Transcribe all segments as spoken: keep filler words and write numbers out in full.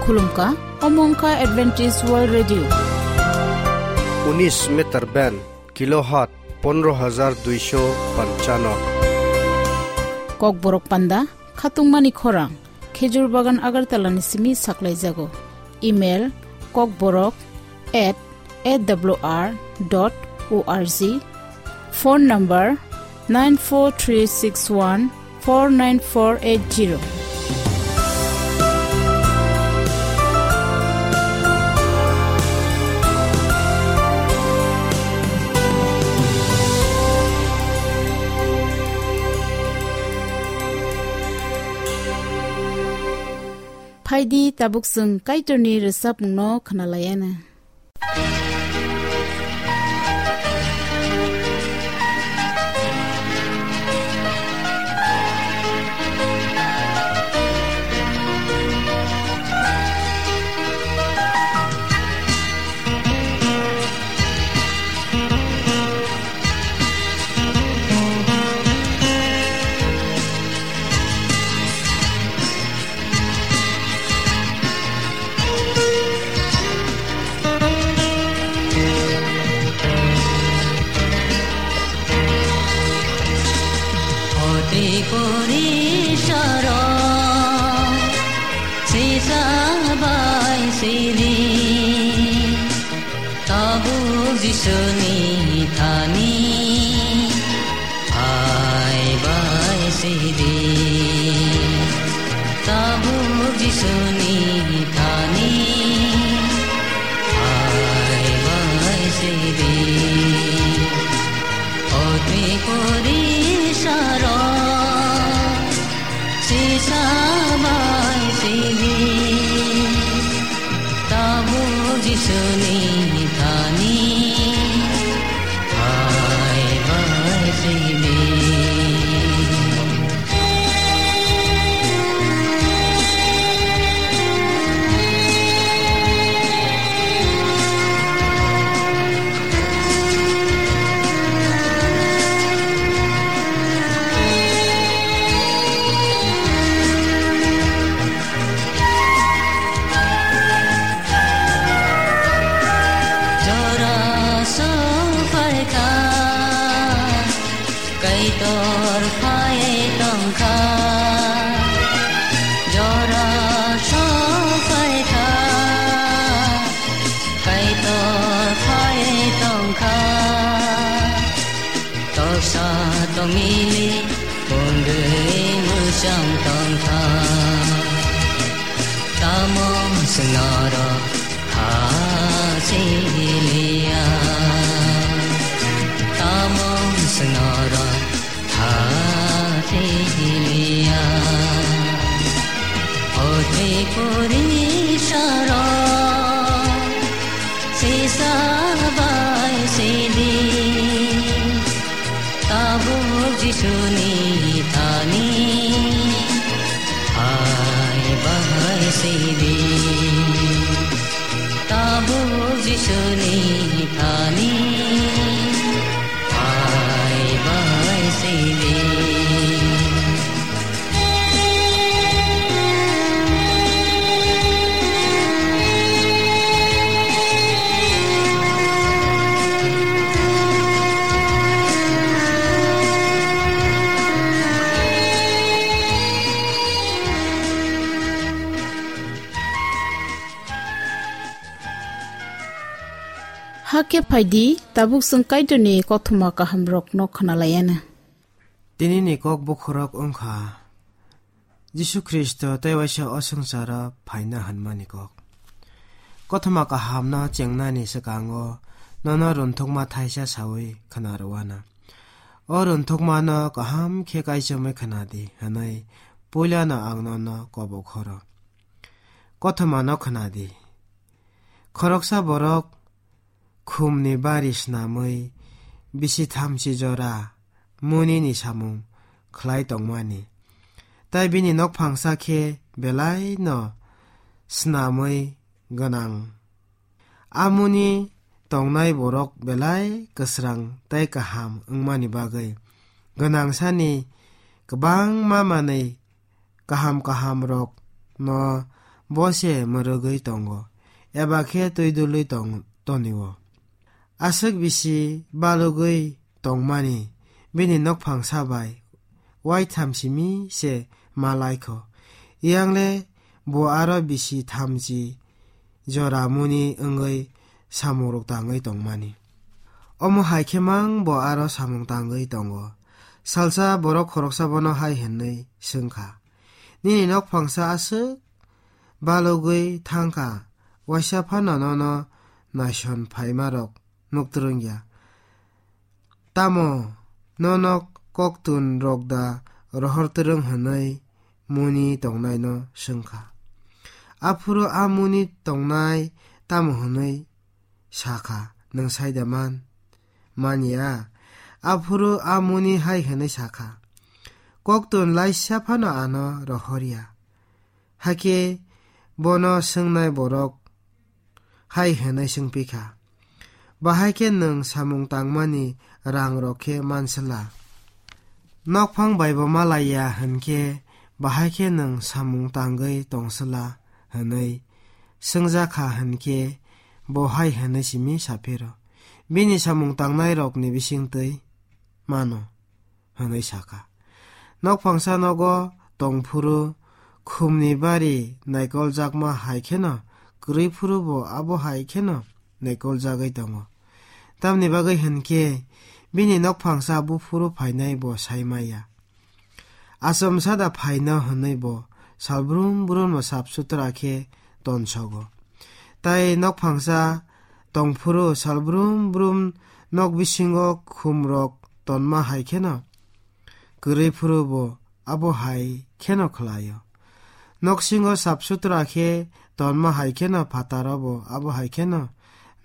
Khulumkha, omo wngkha Adventist World Radio. Unis meter band, kilohertz pondro hajar duisho panchano. Kokborok panda, khatungmani khorang, Khejur Bagan Agartala ni simi saklaijago. Email, kokborok at A W R dot O R G. Phone number nine four three six one four nine four eight zero. Phaidi tabuk chwng Kaitorni rwchapmungno khwnalaiana. Oti pori saro sisa bai sidi. Tabuk Jisuni thani hai bai sidi. Tabuk Jisuni thani hai bai sidi. Oti pori saro sisa bai sidi. Tabuk Jisuni thani hai bai sidi. Jora sophaikha, Kaitor phai tongkha. Jora sophaikha, Kaitor phai tongkha. Toksa tongmili pungwi mwchang tongkha. Tamo swnoro ha siliya. Tamo swnoro ha siliya. Oti pori saro sisa bai sidi. Tabuk Jisuni thani hai bai sidi. Tabuk Jisuni thani hai bai sidi. Hakhe phaidi, tabuk chwng Kaitorni kothoma kahamrokno khwnalaiana. Tinini kok bukhurok wngkha Jisu Khristo tei waisa o swngcharo phaina hwnmani kok. Kothoma kahamno chengnani swkango nono runthukma thaisa saui khna rwano. O runthukmano kaham khe kaichomwi khna di hwnwi puilano ang nono kobo khoro. Kothomano khna di. Khoroksa borok khumni bari snamwi bisi thamchi jora munini samung khlai tongmani. Tai bini nokphangsa khe belai no snamwi gwnang. Amoni tongnai borok belai kwsrang tei kaham wngmani bagwi gwnangsani kwbangma manwi kaham kaham rok no bo se mwrwgwi tongo, eba khe twi dulwi tong-, tonio. Aswk bisi balugwi tongmani bini nokphangsa bai waitham simi se ma lai kho. Yang le bo aro bisi thamchi jora muni wngwi samungrok tangwi tongmani. Omo hai khe mang bo aro samung tangwi tongo. Salsa borok khoroksa bono hai hwnwi swng kha, "Nini nokphangsa aswk balugwi thang kha, waisa phano nono naison phaimarok nuk twrwng ya. Tamo nono koktun rok da rohor twrwng?" hwnwi muni tongnaino swng kha. Aphuru a muni tongnai tamo hwnwi sa kha, "Nwng sai da man, man ya?" Aphuru a muni hai hwnwi sa kha, "Koktun laisa phano ano rohor ya." Hakhe bono swngnai borok hai hwnwi swngpi kha, "Bahai khe nwng samung tangmani rang rok khe manswla? Nokphang bai bo malai ya hwn khe bahai khe nwng samung tangwi tongswla?" hwnwi swngjak kha hwn khe bo hai hwnwi simi sa phiro, "Bini samung tangnai rokni bising twi mano," hwnwi sa kha. Nokphangsa nogo tong phuru khumni bari naikoljakma hai kheno kwrwi phuru bo abo hai kheno naikoljagwi tongo. Tamni bagwi hwn khe bini nokphangsa buphuru phainai bo sai maya. Achomsa da phaino hwnwi bo sal brum brum no sap sutra khe tonsogo. Tai nokphangsa tong phuru sal brum brum nok bisingo khum rok tonma hai kheno kwrwi phuru bo abo hai kheno khlaio. Noksingo sap sutra khe tonma hai kheno phataro bo abo hai kheno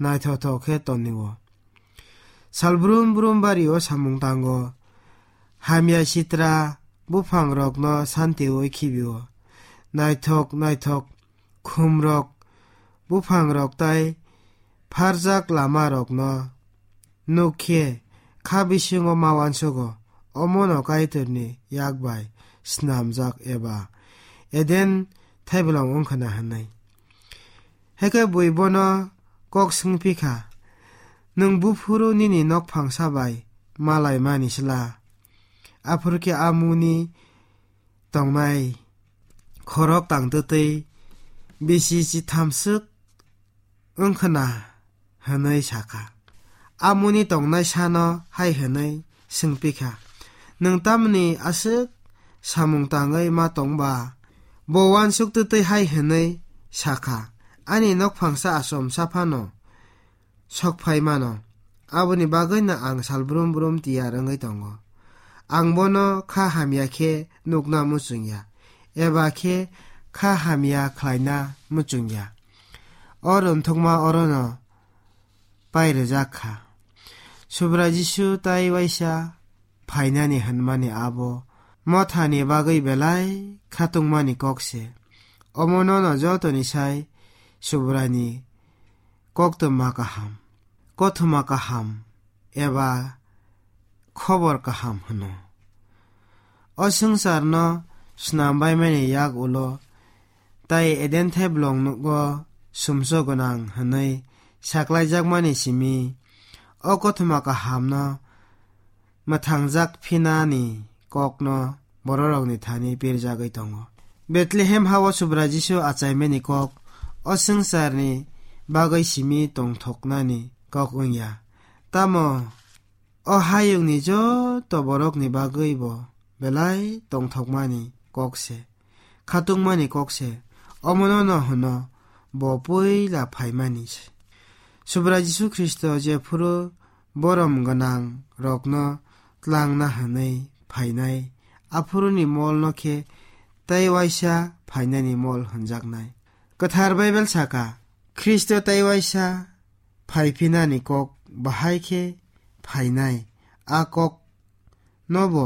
naithokthok khe tonio. Sal brum brum bario samung tango. Hamya sitra buphang rokno santiui khibio. Naithok naithok khum rok, buphang rok tai pharjak lama rokno nuk khe kha bisingo ma uansugo, omono Kaitorni yak bai snamjak eba Eden thaibolong wngkhwna hwnwi. Hakhe bui bono kok swngpi kha, "Nwng buphuru nini nokphangsa bai malaimani sla?" Aphuru khe a muni tongnai khorok tangtwtwi bisi chithamswk wngkhwna hwnwi sa kha. A muni tongnai sano hai hwnwi swngpi kha, "Nwng tamni aswk samung tangwi ma tong ba?" Bo uansuk twtwi hai hwnwi sa kha, "Ani nokphangsa achomsa phano sok phai mano, aboni bagwino ang sal brum brum tiyar wngwi tongo. Ang bono kha hamya khe nukna muchung ya, eba khe kha hamya khlaina muchung ya." O rwngthokma orono pai rwjak kha. Subrai Jisu tai waisa phainani hwnmani abo mothani bagwi belai khatungmani kok se. Omo nono jotoni sai Subraini koktwma kaham, kothoma kaham eba khobor kaham hwno. O swngcharno snam baimani yak ulo tai Eden thaiblongno sumso gwnang hwnwi saklaijakmani simi o kothoma kahamno mwthangjak phinani kokno bororokni thani pirjagwi tongo. Bethlehem hao Subrai Jisu achaimani kok o swngcharni bagwi simi tongthoknani kok wngya. Tamo o hayungni joto borokni bagwi bo belai tongthokmani kok se, khatungmani kok se. Omono no hwno bo puila phaimani se. Subrai Jisu Khristo jephuru borom gwnang rokno tlangna hwnwi phainai, aphuruni molno khe tei waisa phainani mol hwnjaknai. Kwthar Baibel saka, Khristo tei waisa phaiphinani kok bahai khe phainai. A kok nobo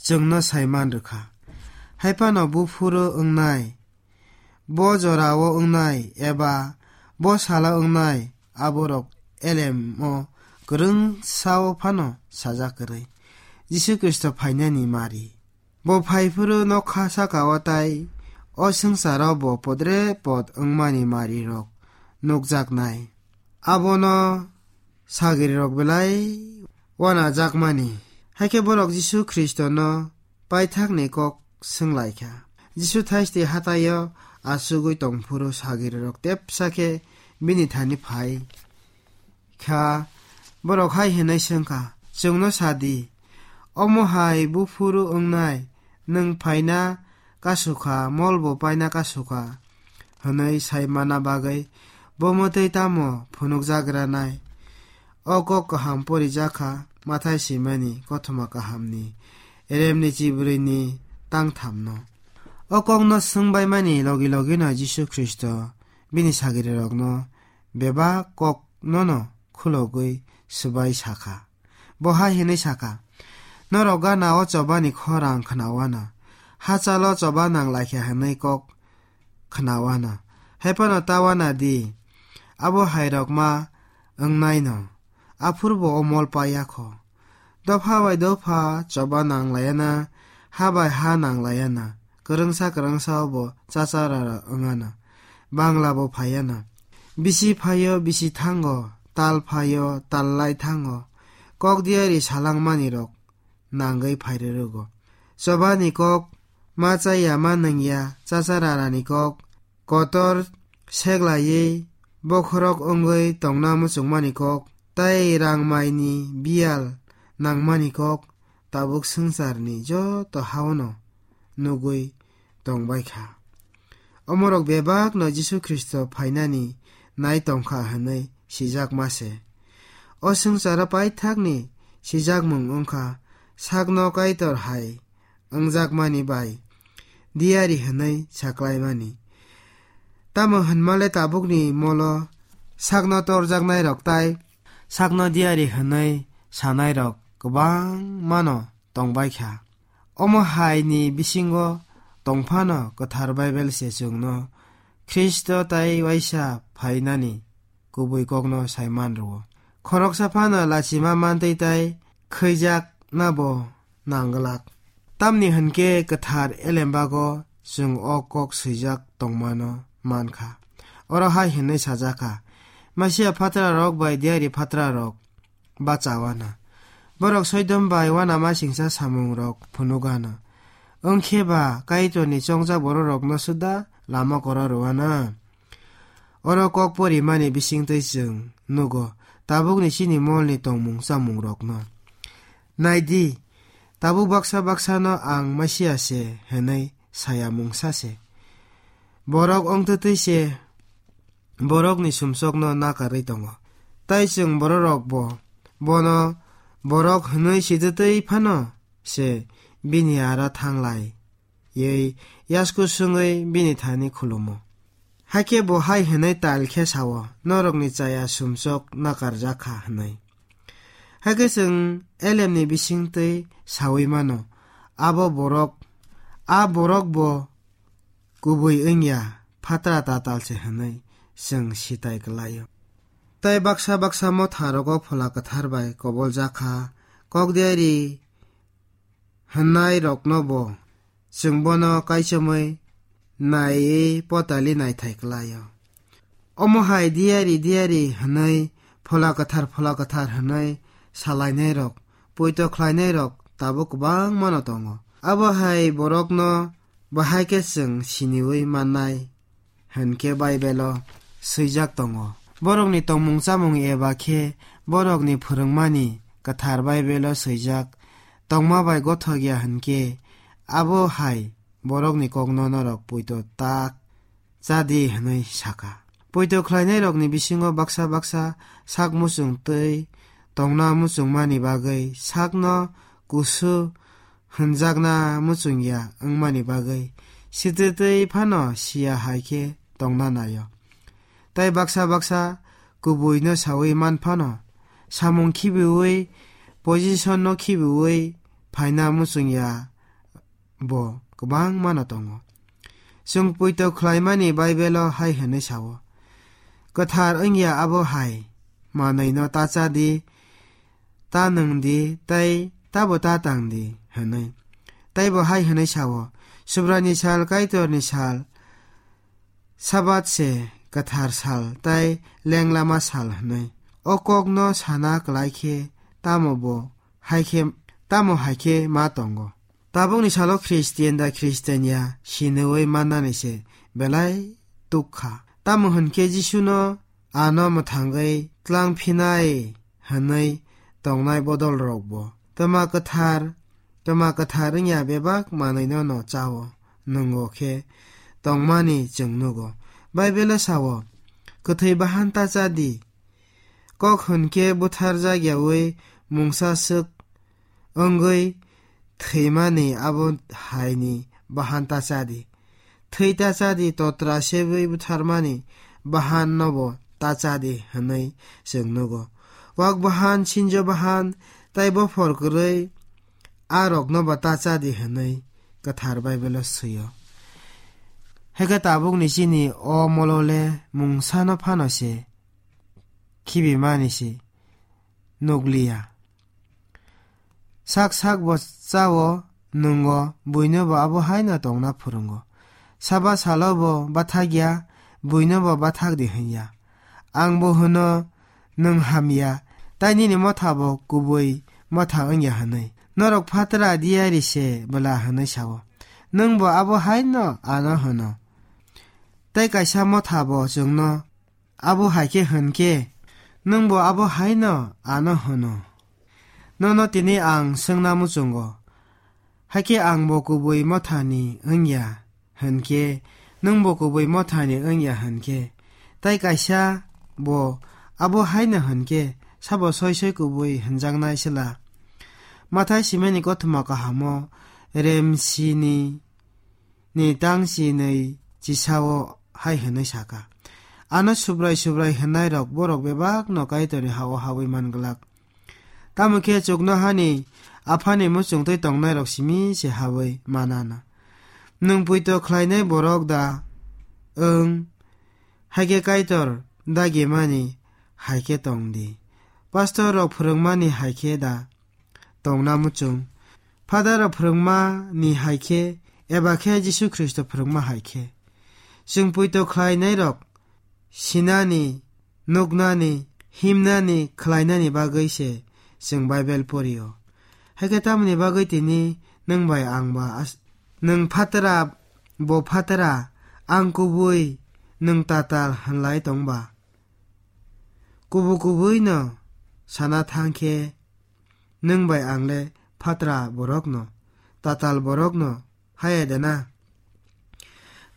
chwngno saiman rwkha. Haiphano buphuru wngnai, bo jorao wngnai eba bo salo wngnai, aborok elemo kwrwngsao phano sajak kwrwi. Jisu Khristo phainani mari. Bo phaiphuru nokha sakao tai o swngcharo bo podre pod wngmani marirok nukjaknai. Abono sagirirok belai wanajakmani. Haikhe borok Jisu Khristono paithakni kok swnglaikha. Jisu thaiste hataio achugwi tongphuru sagirirok tepsa khe bini thani phai kha. Borok hai hwnwi swngkha, "Chwngno sa di, omo hai buphuru wngnai, nwng phaina kasukha, molbo paina kasukha," hwnwi sai manna bagwi bo mwtwi tamo phunukjagranai? O kok kaham porijakha Mathai swimani kothoma kahamni remni chibrwini tangthamno. O kokno swngbaimani logi logino Jisu Khristo bini sagirirokno bebak kok nono khulogwi swbai sakha. Bo hai hwnwi sakha, "Norok gana o chobani khorang khnawana, hachalo choba nanglaikha hwnwi kok khnawana. Haiphano tawana di, abo hairok ma wngnaino, aphurbo o mol paiya kho. Dopha bai dopha choba nanglayana, ha bai ha nanglayana, kwrwngsa kwrwngsa obo chacha rara wngana, bangla bo phaiana. Bisi phaio, bisi thango, tal phaio, tal lai thango, kok diari salangmani rok nangwi phairwrwgo. Chobani kok ma chaya ma nungya, chacha rarani kok, kotor seglaiwi bokhorok wngwi tongna muchungmani kok, tei rang maini biyal nangmani kok, tabuk swngcharni joto haono nugwi tongbai kha." Omorok bebakno Jisu Khristo phainani nai tongkha hwnwi sijakma se. O swngcharo paithakni sijakmung wngkha sakno Kaitor hai wngjakmani bai diari hwnwi saklaimani. Tamo hwnmale tabukni molo sakno torjaknairok tai sakno diari hwnwi sanairok kwbangmano tongbaikha. Omo haini bisingo tongphano Kwthar Baibel se chwngno Khristo tai waisa phainani kubui kokno saiman rwo. Khoroksa phano lachima mantwi tai khwijakna bo nangglak. Tamni hwnkhe kwthar elembago chwng o kok swijak tongmano mankha. Oro hai hwnwi sajakha, "Masia phatrarok bai diari phatrarok bachawana. Borok Soidom bai uanamasingcha samungrok phunukgana. Wngkhe ba Kaitorni chongjak bororokno suda lama kora rwwana." Oro kok porimani bisingtwi chwng nugo tabukni chini molni tongmung chamungrokno. Nai di, tabuk baksa baksano ang Masia se hwnwi saya mungsa se. Borok wngtwtwi se borokni sumsokno nakarwi tongo. Tai chwng bororokbo bono borok hwnwi sitwtwi phano se bini aro thanglai. Yei yasku swngwi bini thani khulumo. Hakhe bo hai hwnwi tal khe sao, "Norokni chaya sumsok nakarjak kha," hwnwi. Hakhe chwng elemni bisingtwi saui mano, abo borok, a borok bo kubui wngya, phatra tatal se hwnwi chwng sitai kwlaio. Tai baksa baksa motha rogo Phola Kwthar bai koboljak kha, kok diari hwnnairokno bo chwng bono kaichomwi naiwi potali naithai kwlaio. Omo hai diari diari hwnwi Phola Kwthar, Phola Kwthar hwnwi salainairok, poito khlainairok tabuk kwbangmano tongo. Abo hai borokno bahai khe chwng siniui mannai hwn khe Baibelo swijak tongo. Borokni tongmung chamung eba khe borokni phwrwngmani Kwthar Baibelo swijak tongma bai gothok ya hwn khe, abo hai borokni kokno norok poito ta cha di hwnwi sakha. Poito khlainairokni bisingo baksa baksa sak muchung twi tongna muchungmani bagwi sakno kusu hwnjakna muchungya wngmani bagwi sitwtwi phano siya hai khe tongna naio. Tai baksa baksa kubuino saui man phano samung khibiui, position no khibiui phaina muchungya bo kwbangmano tongo. Chwng poito khlaimani Baibelo hai hwnwi sao, "Kwthar wngya abo hai, manwino ta cha di, ta nwng di, tei tabo ta tang di," hwnwi. Tei bo hai hwnwi sao, Subraini sal, Kaitorni sal, Sabat se kwthar sal tei lenglama sal hwnwi. O kokno sana klai khe tamo bo hai khe, tamo hai khe ma tongo. Tabukni salo Khristian da Khristian ya siniwi mannani se belai tuk kha. Tamo hwn khe Jisuno ano mwthangwi tlang phinai hwnwi tongnai bodol rok bo. Tma kwthar, tma kwthar wngya bebak manwino no chao, nwngo khe tongmani chwng nugo. Baibelo sao, "Kwthwi bahan ta cha di." Kok hwn khe butharjak yaui mungsa swk wngwi thwimani abo haini bahan ta cha di. Thwi ta cha di, totra sebwi butharmani bahan nobo ta cha di hwnwi chwng nugo. Wak bahan, sinjo bahan, tei bophor kwrwi a roknobo ta cha di hwnwi kwthar Baibelo swi-o. Hakhe tabukni chini o molole mungsano phano se khibimani se nukliya. Sak sak bo chao, nwngo, buino bo abo haino tongna phwrwngo. Saba salo bo bathakya, buino bo bathak di hwnya. Ang bo hwno, nwng hamya, tai nini motha bo kubui motha wngya hwnwi. Norok phatra diyari se bwla hwnwi sao. Nwng bo abo haino ano hwno. Tai kaisa motha bo chwngno abo hai khe hwn khe, nwng bo abo haino ano hwno. Nono tini ang swngna muchungo, hakhe ang bo kubui mothani wngya hwn khe, nwng bo kubui mothani wngya hwn khe, tai kaisa bo abo haino hwn khe, sabo soi soi kubui hwnjaknai sela? Mathai simani kothoma kahamo remsini ni tang chinwi chisao hai hwnwi saka, "Ano Subrai Subrai hwnnairok borok bebakno Kaitorni ha-o haui man glak. Tamo khe chuknohani Aphani muchungtwi tongnairok simi se haui manana. Nwng poito khlainai borok da wng, hai khe Kaitor dagimani hai khe tong di. Pastor rok phwrwngmani hai khe da tongna muchung. Father rok phwrwngma ni hai khe, eba khe Jisu Khristo phwrwngma hai khe." Chwng poito khlainai rok sinani, nuknani, himnani, khlainani bagwi se chwng Bible porio. Hai khe tamoni bagwi tini nwng bai ang ba as-, nwng phatra, bo phatra, ang kubui, nwng tatal hwnlai tong ba? Kubu kubui no sana thang khe, nwng bai ang le phatra borok no, tatal borok no haya de na?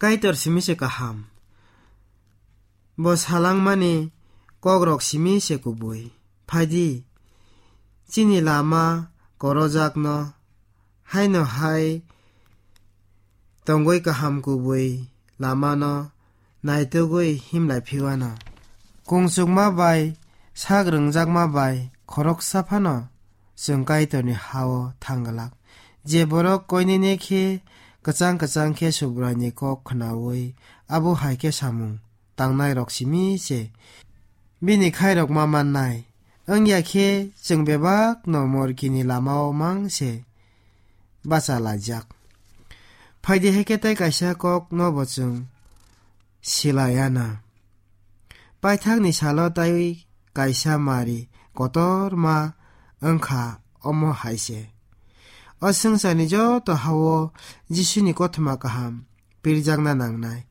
Kaitor simi se kaham. Bo salangmani kokrok simi se kubui. Phaidi, chini lama korojakno haino hai tongwi kaham kubui lamano naitugwi himlai phiwano. Kungchukma bai sak rwngjakma bai khoroksa phano chwng Kaitorni ha-o thang glak. Je borok koinene khe kwchang kwchang khe Subraini kok khnaui abo hai khe samung tangnai rok simi se bini khairok ma mannai. Wngya khe chwng bebak no morkini lama o mang se bacha laijak. Phaidi hai khe tei kaisa kok no bo chwng silaiya na. Paithak ni salo tei kaisa mari kotor ma wngkha omo hai se. O swngcharni joto ha-o Jisuni kothoma kaham pirjakna nangnai.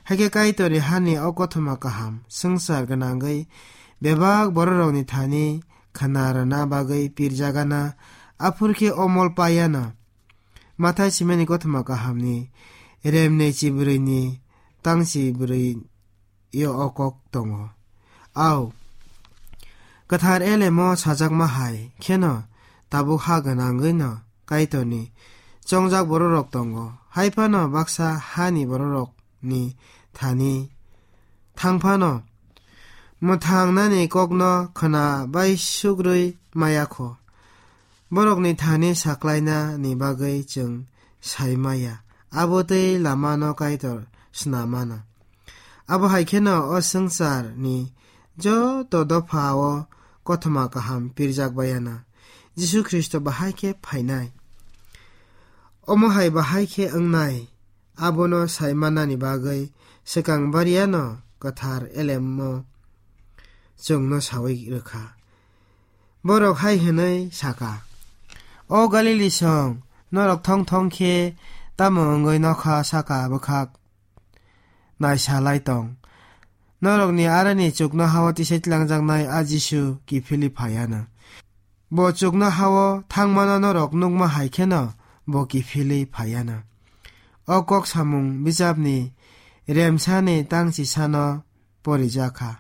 Hakhe Kaitorni hani o kothoma kaham swngchar gwnangwi bebak bororokni thani khna rwna bagwi pirjagana, aphur khe o mol paiano. Mathai simani kothoma kahamni remnei chibrwini tangchi brwi yo o kok tongo. Au, kwthar elemo sajakma hai kheno tabuk ha gwnangwi no Kaitorni chongjak bororok tongo. Hai phano baksa hani bororokni thani thang phano mwthangnani kokno khna bai sugrwi maya kho. Borokni thani saklaina ni bagwi chwng sai maya, abo tei lamano Kaitor sna mano. Abo hai kheno o swngcharni joto dopha o kothoma kaham pirjak bayana. Jisu Khristo bahai khe phainai. Omo hai bahai khe wngnai. abono sai mannani bagwi swkang bariyano kwthar elemno chwngno saui rwkha. Borok hai hwnwi saka, "O Galili song, norok thong thong khe tamo wngwi nokha saka bwkhak naisalai tong? Norokni arani chuknoha-o tisai tlangjaknai a Jisu kiphilwi phaiya na. Bo chuknoha-o thangmano norok nukma hai kheno bo kiphilwi phaiya na." O kok samung bijapni remsani tang chisano porijak kha.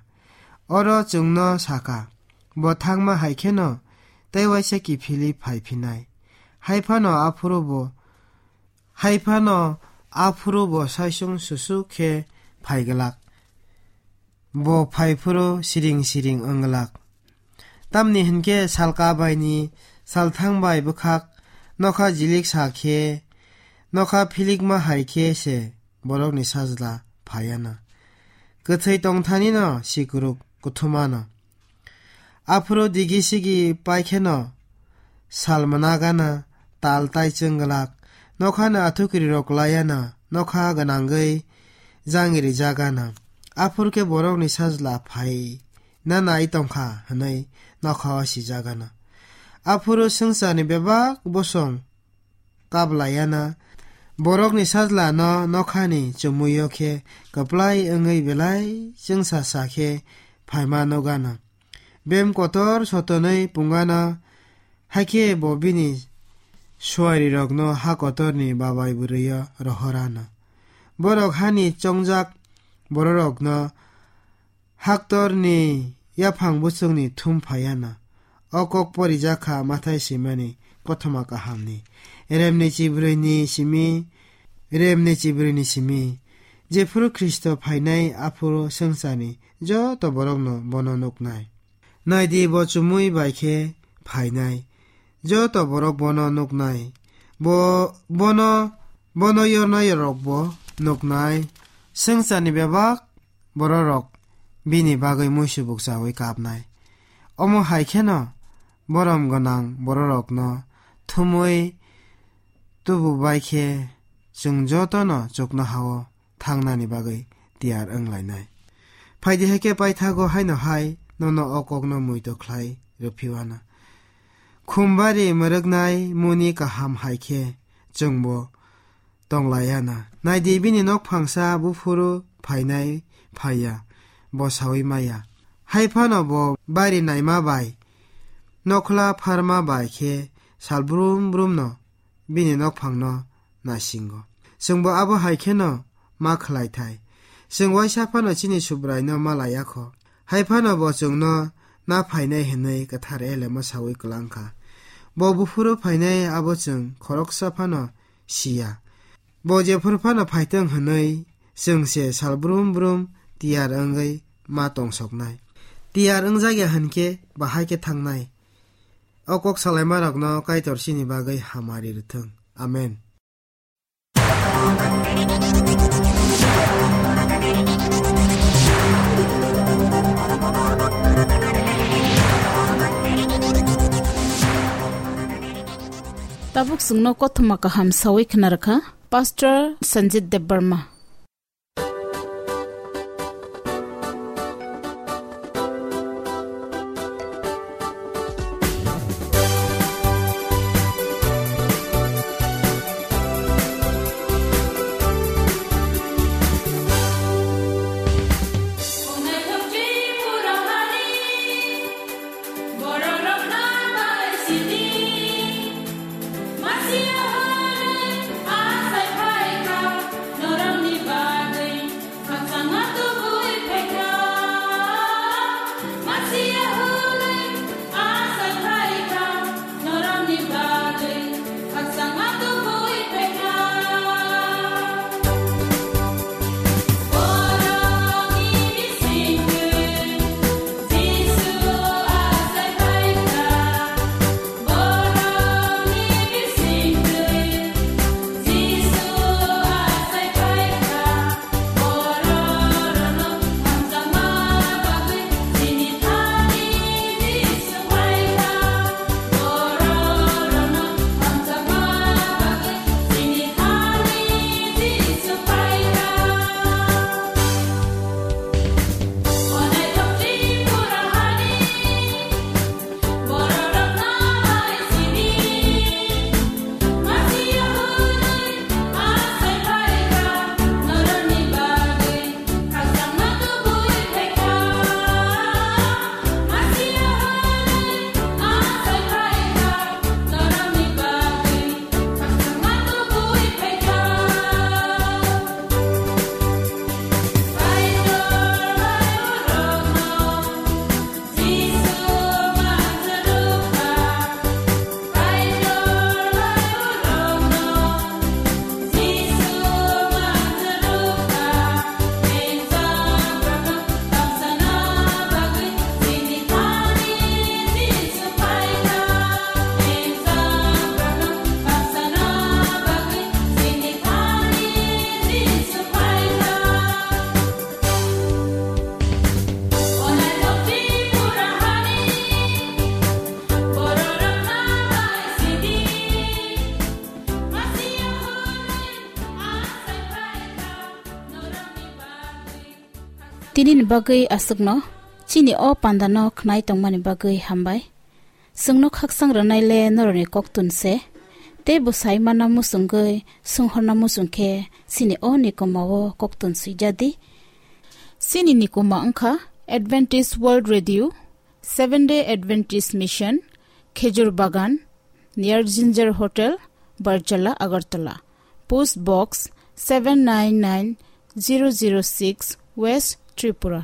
Oro chwngno sakha, bo thangma hai kheno tei waisa kiphilwi phai phinai. Hai phano aphuru bo, hai phano aphuru bo saisung susuk khe phai glak. Bo phai phuru siring siring wng glak. Tamni hwn khe salka baini salthang bai bwkhak nokha jilik sa khe, nokha philikma hai khe se borokni sajla phaiya na. Kwthwi tongthanino sikuruk kuthumano. Aphuru digi sigi pai kheno sal mwnagana, tal tai chwng glak, nokhani athukiri rok laiya na, nokha gwnangwi jangiri jagana. Aphuru khe borokni sajla phai na nai tongkha hwnwi nokha o sijagana. Aphuru swngcharni bebak bosong kablaiya na, borokni sajlano nokhani chumuio khe kwplai wngwi belai chwngsa sa khe phaima nugana. Bem kotor sotonwi pungana, hakhe bo bini suarirokno ha kotorni babai bwrwio rohorana. Borok hani chongjak bororokno haktorni yaphang bwswkni thum phaiya na. O kok porijak kha Mathai swimani kothoma kahamni remni chibrwini simi, remni chibrwini simi. Jephuru Khristo phainai, aphuru swngcharni joto borokno bono nuknai. Naidi, bo chumui bai khe phainai. Joto borok bono nuknai. Bo, bono, bono yornai rok bo nuknai. Swngcharni bebak bororok bini bagwi muisubuk chaui kapnai. Omo hai kheno borom gwnang bororokno thumui tubu bai khe chwng jotono chuknoha-o thangnani bagwi tiyar wng lainai. Phaidi hai khe paithago haino hai nono o kokno muitu khlai rwphiwana. Khumbari mwrwknai muni kaham hai khe chwngbo tong laiya na. Naidi, bini nok phangsa buphuru phainai phaiya, bo saui maya. Hai phano bo bari naima bai, nokhla pharma bai khe sal brum brumno bini nokphangno naisingo. Chwngbo abo hai kheno ma khlai thai. Chwng waisa phano chini Subraino ma laiya kho. Hai phano bo chwngno na phainai hwnwi kwthar elemo saui kwlang kha. Bo buphuru phainai abo chwng khoroksa phano siya. Bo jephuru phano phaitong hwnwi chwng se sal brum brum tiyar wngwi ma tongsoknai. Tiyar wngjakya hwn khe bahai khe thangnai. O kok salaimarokno Kaitor chini bagwi hamari rwthwng. Amen. Tabuk chwngno kothoma kaham saui khna rwkha Pastor Sanjit Debbarma. Tinini bagwi aswkno chini o pandano khnai tongmani bagwi hambai. Chwngno khaksang rwnaile norokni koktun se, tei bo sai mana muchungwi swnghorna muchung khe chini o nikoma o koktun swijadi. Chini nikoma wngkha Adventist World Radio, Seventh Day Adventist Mission, Khejur Bagan, near Ginger Hotel, Barjala, Agartala. Post Box seven nine nine zero zero six, West Tripura.